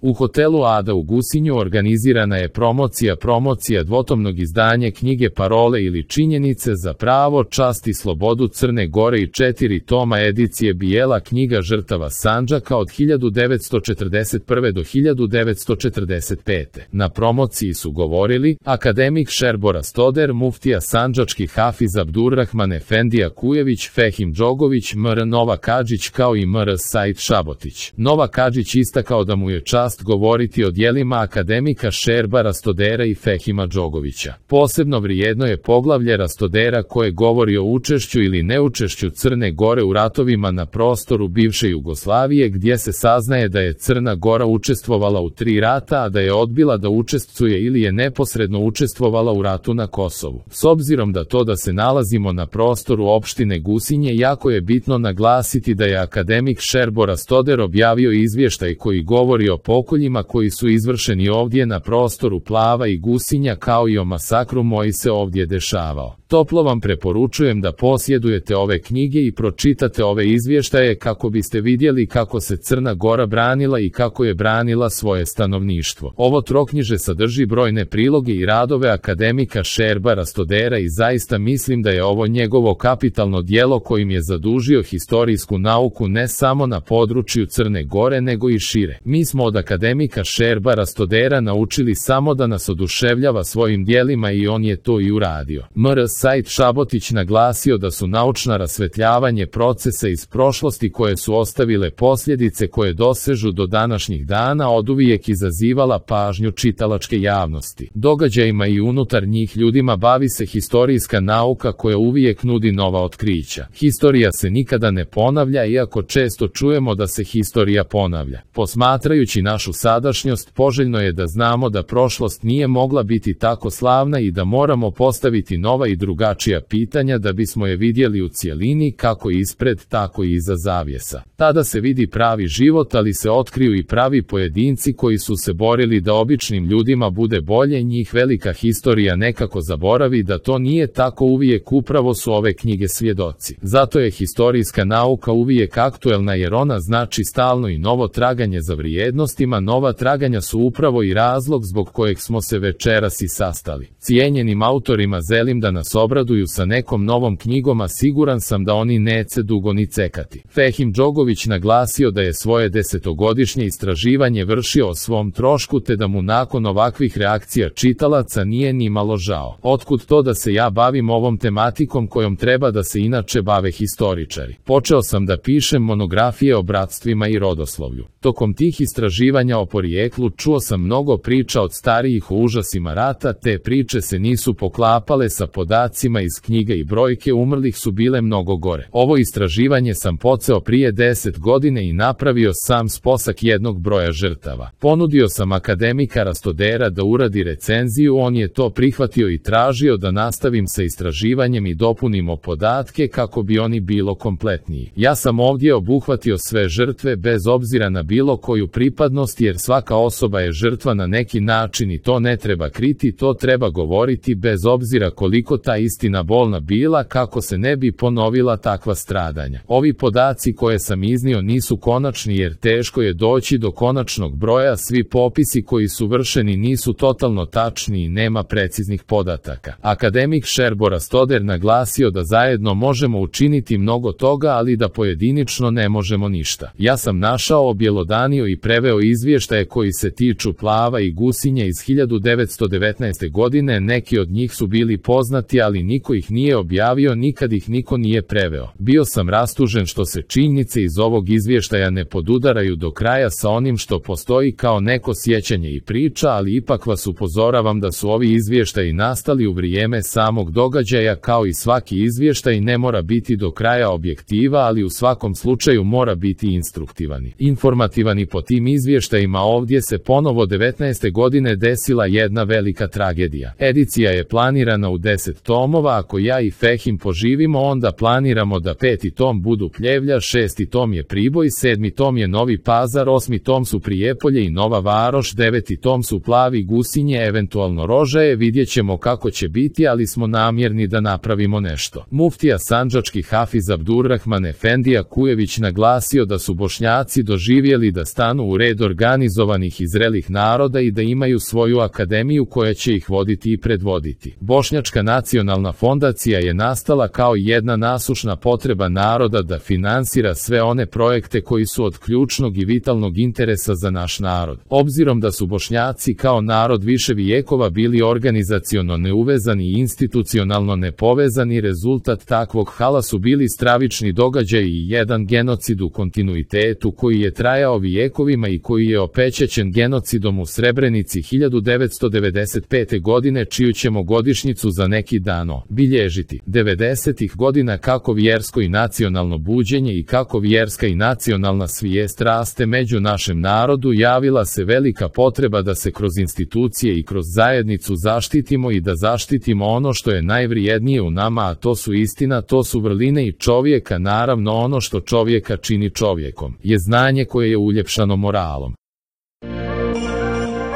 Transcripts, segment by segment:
U hotelu Ada u Gusinju organizirana je promocija dvotomnog izdanja knjige Parole ili činjenice za pravo, čast i slobodu Crne Gore i 4 toma edicije Bijela knjiga žrtava Sandžaka od 1941. do 1945. Na promociji su govorili akademik Šerbo Rastoder, muftija sandžački Hafiz Abdurrahman Efendija Kujević, Fehim Džogović, mr. Nova Kadžić kao i mr. Said Šabotić. Nova Kadžić istakao da mu je čast govoriti o djelima akademika Šerba Rastodera i Fehima Džogovića. Posebno vrijedno je poglavlje Rastodera koje govori o učešću ili neučešću Crne Gore u ratovima na prostoru bivše Jugoslavije, gdje se saznaje da je Crna Gora učestvovala u 3 rata, a da je odbila da učestvuje ili je neposredno učestvovala u ratu na Kosovu. S obzirom da se nalazimo na prostoru opštine Gusinje, jako je bitno naglasiti da je akademik Šerbo Rastoder objavio izvještaj koji govori o pokoljima koji su izvršeni ovdje na prostoru Plava i Gusinja, kao i o masakru koji se ovdje dešavao. Toplo vam preporučujem da posjedujete ove knjige i pročitate ove izvještaje kako biste vidjeli kako se Crna Gora branila i kako je branila svoje stanovništvo. Ovo troknjiže sadrži brojne priloge i radove akademika Šerba Rastodera i zaista mislim da je ovo njegovo kapitalno djelo kojim je zadužio historijsku nauku ne samo na području Crne Gore nego i šire. Mi smo od akademika Šerba Rastodera naučili samo da nas oduševljava svojim djelima i on je to i uradio. Mr. Said Šabotić naglasio da su naučna rasvetljavanje procesa iz prošlosti koje su ostavile posljedice koje dosežu do današnjih dana oduvijek izazivala pažnju čitalačke javnosti. Događajima i unutar njih ljudima bavi se historijska nauka koja uvijek nudi nova otkrića. Historija se nikada ne ponavlja, iako često čujemo da se historija ponavlja. Posmatrajući našu sadašnjost, poželjno je da znamo da prošlost nije mogla biti tako slavna i da moramo postaviti nova i drugačija pitanja da bismo je vidjeli u cjelini, kako ispred tako i iza zavjesa. Tada se vidi pravi život, ali se otkriju i pravi pojedinci koji su se borili da običnim ljudima bude bolje. Njih velika historija nekako zaboravi da to nije tako uvijek, upravo su ove knjige svjedoci. Zato je historijska nauka uvijek aktuelna, jer ona znači stalno i novo traganje za vrijednostima. Nova traganja su upravo i razlog zbog kojeg smo se večeras i sastali. Cijenjenim autorima želim da nas obraduju sa nekom novom knjigom, a siguran sam da oni neće dugo ni cekati. Fehim Džogović naglasio da je svoje 10-godišnje istraživanje vršio o svom trošku, te da mu nakon ovakvih reakcija čitalaca nije ni malo žao. Otkud to da se ja bavim ovom tematikom kojom treba da se inače bave historičari? Počeo sam da pišem monografije o bratstvima i rodoslovlju. Tokom tih istraživanja o porijeklu čuo sam mnogo priča od starijih o užasima rata, te priče se nisu poklapale sa podacima iz knjiga i brojke umrlih su bile mnogo gore. Ovo istraživanje sam počeo prije 10 godina i napravio sam sposak jednog broja žrtava. Ponudio sam akademika Rastodera da uradi recenziju, on je to prihvatio i tražio da nastavim sa istraživanjem i dopunimo podatke kako bi oni bilo kompletniji. Ja sam ovdje obuhvatio sve žrtve bez obzira na bilo koju pripadnost, jer svaka osoba je žrtva na neki način i to ne treba kriti, to treba govoriti bez obzira koliko ta istina bolna bila, kako se ne bi ponovila takva stradanja. Ovi podaci koje sam iznio nisu konačni, jer teško je doći do konačnog broja, svi popisi koji su vršeni nisu totalno tačni i nema preciznih podataka. Akademik Šerbo Rastoder naglasio da zajedno možemo učiniti mnogo toga, ali da pojedinično ne možemo ništa. Ja sam našao, objelodanio i preveo izvještaje koji se tiču Plava i Gusinja iz 1919. godine, neki od njih su bili poznati, ali niko ih nije objavio, nikad ih niko nije preveo. Bio sam rastužen što se činjenice iz ovog izvještaja ne podudaraju do kraja sa onim što postoji kao neko sjećanje i priča, ali ipak vas upozoravam da su ovi izvještaji nastali u vrijeme samog događaja. Kao i svaki izvještaj ne mora biti do kraja objektiva, ali u svakom slučaju mora biti instruktivani. Informativani po tim izvještajima. Ovdje se ponovo 19. godine desila jedna velika tragedija. Edicija je planirana u 10 tomova, ako ja i Fehim poživimo onda planiramo da 5. tom budu Pljevlja, 6. tom je Priboj, 7. tom je Novi Pazar, 8. tom su Prijepolje i Nova Varoš, 9. tom su Plavi Gusinje, eventualno Rožaje, vidjet ćemo kako će biti, ali smo namjerni da napravimo nešto. Muftija sandžački Hafiz Abdurrahman Efendija Kujević naglasio da su Bošnjaci doživjeli da stanu u red organizovanih i zrelih naroda i da imaju svoju akademiju koja će ih voditi i predvoditi. Bošnjačka nacionalna fondacija je nastala kao jedna nasušna potreba naroda da finansira sve one projekte koji su od ključnog i vitalnog interesa za naš narod. Obzirom da su Bošnjaci kao narod više vijekova bili organizaciono neuvezani i institucionalno nepovezani, rezultat takvog hala su bili stravični događaj i jedan genocid u kontinuitetu koji je trajao vijekovima i koji je opečećen genocidom u Srebrenici 1995. godine, čiju ćemo godišnjicu za neki dan bilježiti. 90. godina kako vjersko i nacionalno buđenje i kako vjerska i nacionalna svijest raste među našem narodu, javila se velika potreba da se kroz institucije i kroz zajednicu zaštitimo i da zaštitimo ono što je najvrijednije u nama, a to su istina, to su vrline i čovjeka. Naravno, ono što čovjeka čini čovjekom je znanje koje je uljepšano moralom.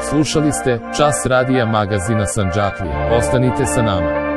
Slušali ste Čas radija magazina Sandžaklije. Ostanite sa nama.